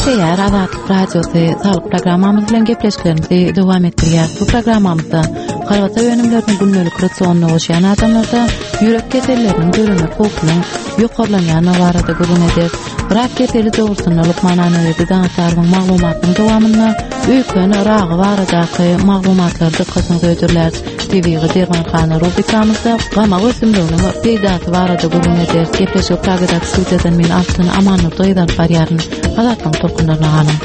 Gepleýär Azatlyk Radiosy Saglyk programmamyz bilen gepleşiklerimizi dowam etdirýär. Bu programmamyzda kolbasa önümlerini gündelik rasionyna goşýan adamlarda ýürek keselleriniň döremek howpunyň ýokarlanýandygy barada gürrüň ederis. Rak keseli dogrusynda lukman Annaberdi Daňatarowyň maglumatynyň dowamynda öýken ragy baradaky maglumatlary dykgatyňyza hödürläris. Tebigy dermanhana rubrikamyzda gamak ösümliginiň peýdasy barada gürrüň ederis. Gepleşigi Pragadaky studiýadan men Altyn Amannurdy gyz alyp barýaryn. Azatlygyň tolkunlaryna galyň.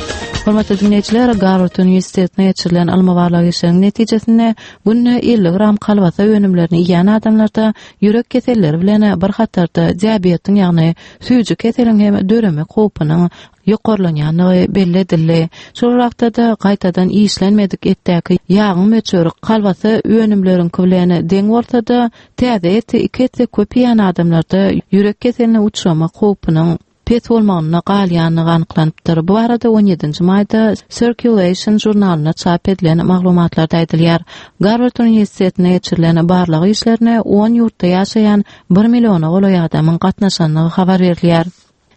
Hormatly diňleýjiler, Garward uniwersitetinde geçirilen ylmy-barlag işleriniň netijesinde günde 50 gram kolbasa önümlerini iýen adamlarda ýürek keselleri bilen bir hatarda diabetiň, ýagny süýji keseliň hem döremek howpunyň ýokarlanýandygy belli edildi. Şol wagtda-da gaýtadan işlenmedik etdäki ýagyň möçberi kolbasa önümleriňki bilen deň bolsa-da, täze eti iki esse köp iýen adamlarda ýürek keseline uçramak howpunyň pes bolmagynda galýandygy anyklanypdyr. Bu barada on ýedinji maýda Circulation žurnalynda çap edilen maglumatlarda aýdylýar. Garward uniwersitetinde geçirilen barlag işlerine on ýurtda ýaşaýan bir milliona golaý adamyň gatnaşandygy habar berilýär.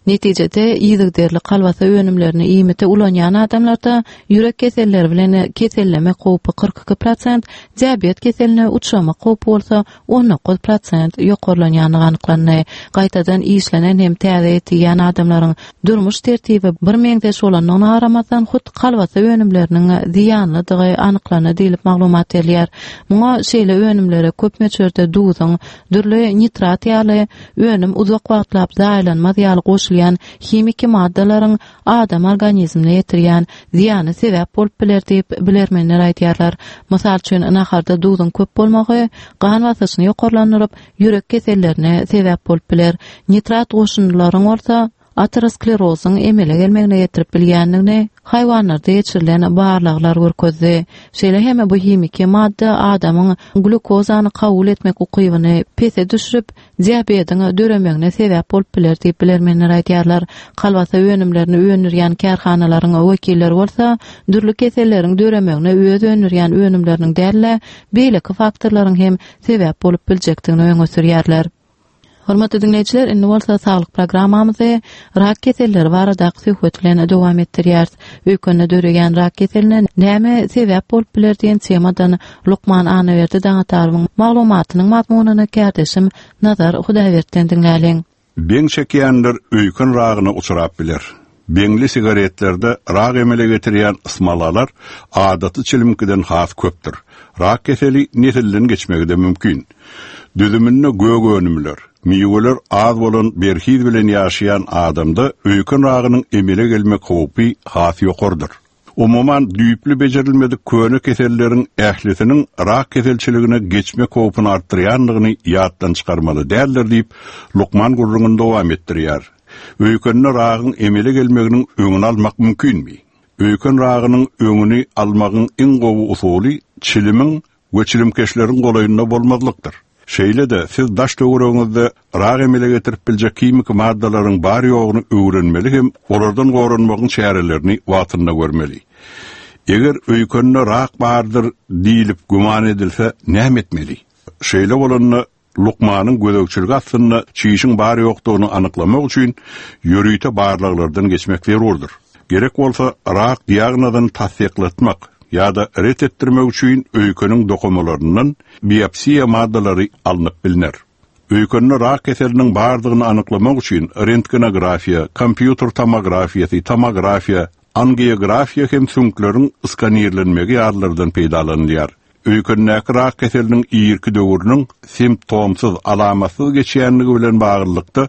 Netijede, yzygiderli kolbasa önümlerini iýmite ulanýan adamlarda ýürek keselleri bilen kesellemek howpy 42 prosent, diabet keseline uçramak howpy bolsa 19 prosent ýokarlanýandygy anyklandy. Gaýtadan işlenen hem täze et iýýän adamlaryň durmuş tertibi birmeňzeş bolandygyna garamazdan, hut kolbasa önümleriniň zyýanlydygy anyklandy diýlip maglumat berilýär. Muňa şeýle önümlere köp möçberde duzuň, dürli nitrat ýaly önüm uzak wagtlap zaýalanmaz ýaly goşulýan himiki maddalaryň adam organizmine ýetirýän zyýany sebäp bolup biler diýip, bilermenler aýdýarlar. Mysal üçin, naharda duzuň köp bolmagy gan basyşyny ýokarlandyryp, ýürek kesellerine sebäp bolup biler. Nitrat goşundylaryň bolsa aterosklerozyň emele gelmegine getirip bilýändigini haýwanlarda geçirilen barlaglar görkezdi. Şeýle hem bu himiki madda adamyň glýukozany kabul etmek ukybyny pese düşürip, diabetiň döremegine sebäp bolup biler diýip bilermenler aýdýarlar. Kolbasa önümlerini öndürýän kärhanalaryň wekilleri bolsa dürli keselleriň döremegine öz öndürýän önümleriniň däl-de, beýleki faktorlaryň hem sebäp bolup biljekdigini öňe sürýärler. Hormatly diňleýjiler, indi bolsa saglyk programmamyzy rak keselleri baradaky söhbet bilen dowam etdirýäris. Öýkende döreýän rak keseline näme sebäp bolup biler diýen temadan lukman Annaberdi Daňatarowyň maglumatynyň mazmunyny kärdeşim Nazar Hudaýberdiden diňläliň. Beň çekýänler öýken ragyna uçrap biler. Beňli sigaretlerde rak emele getirýän smolalar adaty çilimkiden has köpdür. Rak keseli nesilden geçmegi-de mümkin. Düzüminde gök önümler, miweler az bolan berhiz bilen ýaşaýan adamda öýken ragynyň emele gelmek howpy has ýokarydyr. Umuman, düýpli bejerilmedik köne keselleriň ählisiniň rak keselçiligine geçmek howpuny artdyrýandygyny ýatdan çykarmaly däldir diýip, lukman gürrüňini dowam etdirýär. Öýkende ragyň emele gelmeginiň öňüni almak mümkinmi? Öýken ragynyň öňüni almagyň iň gowy usuly çilimiň we çilimkeşleriň golaýynda bolmazlykdyr. Şeýle-de, siz daş-töweregiňizde rak emele getirip biljek himiki maddalaryň bar-ýoguny öwrenmeli hem olardan goranmagyň çärelerini wagtynda görmeli. Eger öýkende rak bardyr diýlip güman edilse, näme etmeli? Şeýle bolanda, lukmanyň gözegçiligi astynda çişiň bar-ýokdugyny anyklamak üçin ýörite barlaglardan geçmek zerurdyr. Gerek bolsa, rak diagnozyny tassyklatmak ýa-da ret etdirmek üçin öýkeniň dokumalaryndan biopsiýa maddalary alnyp bilner. Öýkende rak keseliniň bardygyny anyklamak üçin rentgenografiýa, kompýuter tomografiýasy, tomografiýa, angiografiýa hem süňkleriň skanirlenmegi ýalylardan peýdalanylýar. Öýkendäki rak keseliniň irki döwrüniň simptomsyz, alamatsyz geçýänligi bilen baglylykda,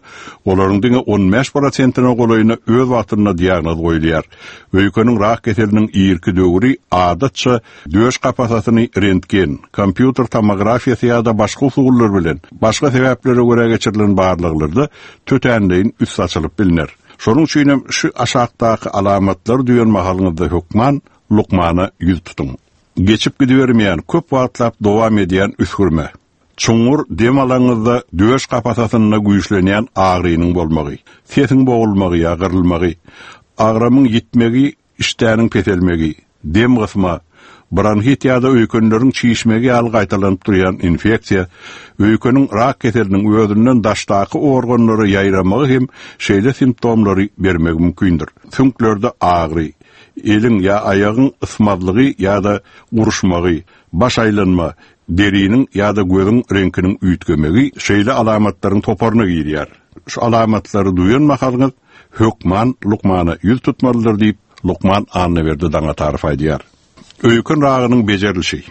olaryň diňe 15 prosentine golaýyna öz wagtynda diagnoz goýulýar. Öýkeniň rak keseliniň irki döwri, adatça, döş kapasasyny rentgen, kompýuter tomografiýasy ýa-da başga usullar bilen, başga sebäplere görä geçirilen barlaglarda tötänleýin üsti açylyp bilner. Şonuň üçin hem şu aşakdaky alamatlary duýan mahalyňyzda hökman lukmana ýüz tutuň. Geçip gidibermeýän, köp wagtlap dowam edýän üsgürme. Çuňňur dem alaňyzda döş kapasasynda güýçlenýän agyrynyň bolmagy. Sesiň bogulmagy ýa gyrylmagy. Agramyň ýitmegi, işdäniň peselmegi. Dem gysma. Bronhit ýa-da öýkenleriň çişmegi ýaly gaýtalanyp durýan infeksiýa, öýkeniň rak keseliniň özünden daşdaky organlara ýaýramagy hem şeýle simptomlary bermegi mümkindir. Süňklerde agyry, eliň ýa aýagyň ysmazlygy ýa-da guruşmagy, baş aýlanma, deriniň ýa-da gözüň reňkiniň üýtgemegi şeýle alamatlaryň toparyna girýär. Şu alamatlary duýan mahalyňyz hökman lukmana ýüz tutmalydyr diýip, lukman Annaberdi Daňatarow aýdýar. Öýken ragynyň bejerilişi.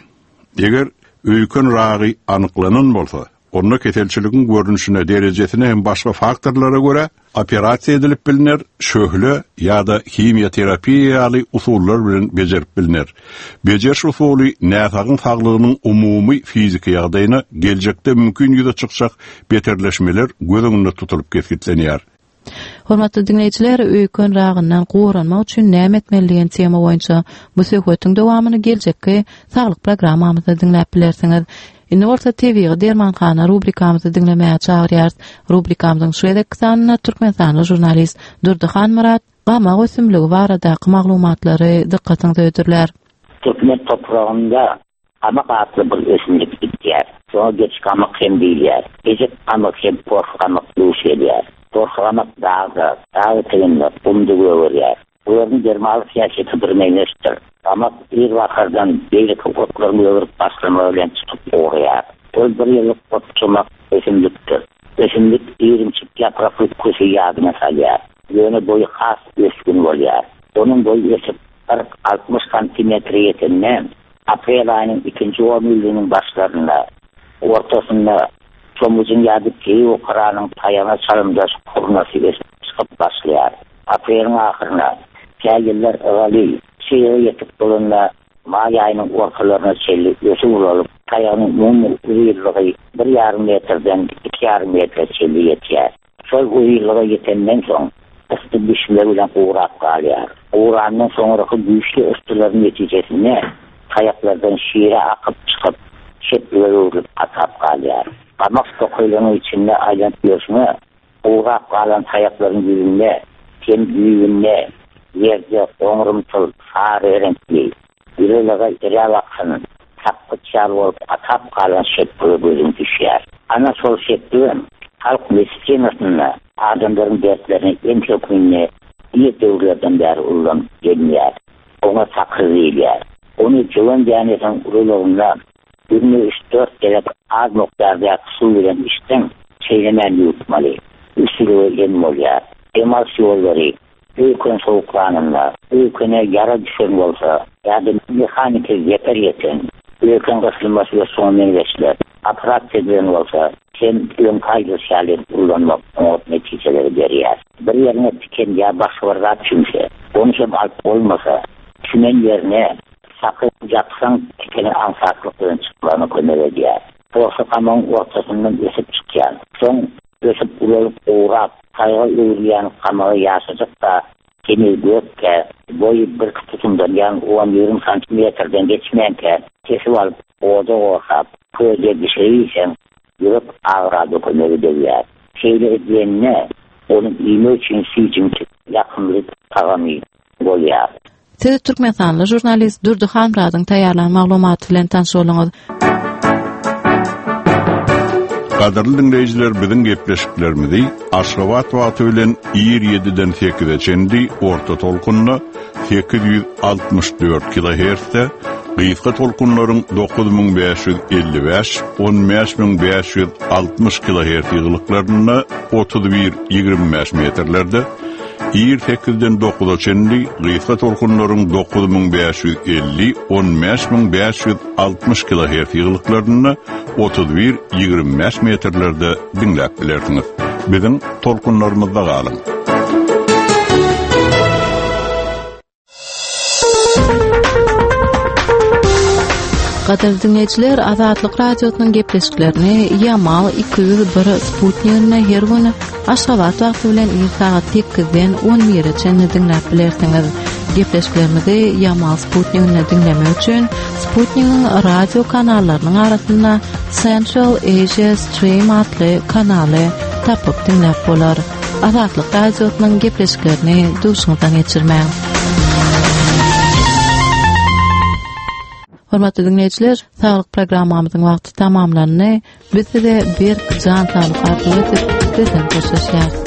Eger öýken ragy anyklanan bolsa, onda keselçiligiň görnüşine, derejesine hem başga faktorlara görä operasiýa edilip bilner, şöhle ýa-da himiýa terapiýa ýaly usullar bilen bejerip bilner. Bejeriş usuly näsagyň saglygynyň umumy fiziki ýagdaýyna, geljekde mümkin ýüze çykjak beterleşmeler göz öňünde tutulyp kesgitlenýär. Hormatly diňleýjiler, öýken ragyndan goranmak üçin näme etmeli diýen tema boýunça bu söhbetiň dowamyny geljekki saglyk programmamyzda diňläp bilersiňiz. Indi bolsa tebigy dermanhana rubrikamyzy diňlemäge çagyrýarys. Rubrikamyzyň şu gezekki sanynda türkmenistanly žurnalist Durdy Hanmyrat gamak ösümligi baradaky maglumatlary dykgatyňyza hödürlär. Türkmen topragynda Gamak atly bir ösümlik bitýär. Şoňa geçi gamak hem diýilýär. Ejek gamak hem porsy gamak duş gelýär. Porsy gamak dagda, dag eteginde, gumda gögerýär. Bularyň dermanlyk häsiýeti birmeňzeşdir. Gamak ir bahardan beýleki otlaryň gögerip başlamagy bilen çykyp ugraýar. Ol bir ýyllyk otjumak ösümlikdir. Ösümlik irimçik ýaprakly kösi ýadyňa salýar. Ýöne boýy has ösgün bolýar. Onuň boýy ösüp, 40-60 santimetre ýetende, aprel aýynyň ikinji onýyllygynyň başlarynda, ortasynda çomujyň ýa-da keýik-okaranyň taýagyna çalymdaş hurnasy ösüp çykyp başlaýar. Apreliň ahyryna, tä ýyllar ygaly, çyga ýetip bolanda, maý aýynyň ortalaryna çenli ösüp ulalyp, taýagynyň umumy uzynlygy bir ýarym metrden iki ýarym metre çenli ýetýär. Şol uzynlyga ýetenden soň, yssy düşme bilen gurap galýar. Gurandan soňraky güýçli yssylaryň netijesinde taýaklardan şire akyp çykyp, şepbige öwrülip gatap galýar. Gamak tokaýlarynyň içinde aýlanyp ýörşüňe, gurap galan taýaklaryň ýüzünde hem düýbünde ýerde goňrumtyl sary reňkli, Ýylylyga eräp akan, sakgyç ýaly bolup gatap galan şepbige gözüň düşýär. Ana şol şepbigem halk medisinasynda adamlaryň dertlerine em hökmünde ir döwürlerden bäri ullanyp gelinýär. Oňa sakyr diýilýär. Ony jöwen dänesiniň ululygynda günde üç-dört gezek az mukdardaky suw bilen içseň, çeýnemän ýuwutmaly. Üsgüligi em bolýar. Dem alyş ýollary Öýken sowuklanynda, öýkene ýara düşen bolsa ýa-da mehaniki zeper ýeten, öýken gysylmasy we şuňa meňzeşler, operasiýa edilen bolsa hem öňki aýdylyşy ýaly edip ullanmak oňat netijeleri berýär. Bir ýeriňe tiken ýa başga bir zat çümse, ony hem alyp bolmasa, çümen ýerine saky ýapsaň tikeniň aňsatlyk bilen çykmagyna kömek edýär. Porsy gamagyň ortasyndan ösüp çykýan, soň Ösüp ulalyp gurap, taýga öwrülýän gamagy ýaşajyk-da, heniz gökkä, boýy birki tutumdan, ýagny on-ýigrimi santimetrden geçmänkä kesip alyp, oda gorsap, köze bişirip iýseň, ýürek agyra-da kömek edewýär. Şeýle edilende, ony iýmek üçin süýjümtik, ýakymly tagamy bolýar. Siz türkmenistanly žurnalist Durdy Hanmyradyň taýýarlan maglumaty bilen tanyş bolduňyz. Gadyrly diňleýjiler biziň gepleşiklerimizi Aşgabat wagty bilen ir 7-den 8-e çenli orta tolkunda 864 kilohertzde gysga tolkunlaryň 9555 15560 kilohertz ýygylyklarynda 31 25 metrlerde Ir sekizden dokuza çenli gysga tolkunlaryň 9550, 15560 kilohertz ýygylyklarynda 31, 25 metrlerde diňläp bilersiňiz. Biziň tolkunlarymyzda galyň! Gadyrly diňleýjiler, Azatlyk Radiosynyň gepleşiklerini Ýamal 201 sputniginde her gün Aşgabat wagty bilen ir sagat 8-den 11-e çenli diňläp bilersiňiz. Gepleşiklerimizi Ýamal sputniginde diňlemek üçin sputnigiň radio kanallarynyň arasynda Central Asia Stream atly kanaly tapyp diňläp bolar. Azatlyk Radiosynyň gepleşiklerini duşuňyzdan geçirmäň. Hormatly diňleýjiler, saglyk programmamyzyň wagty tamamlandy. Biz size berk jan saglyk arzuw edip, sizden hoşlaşýarys.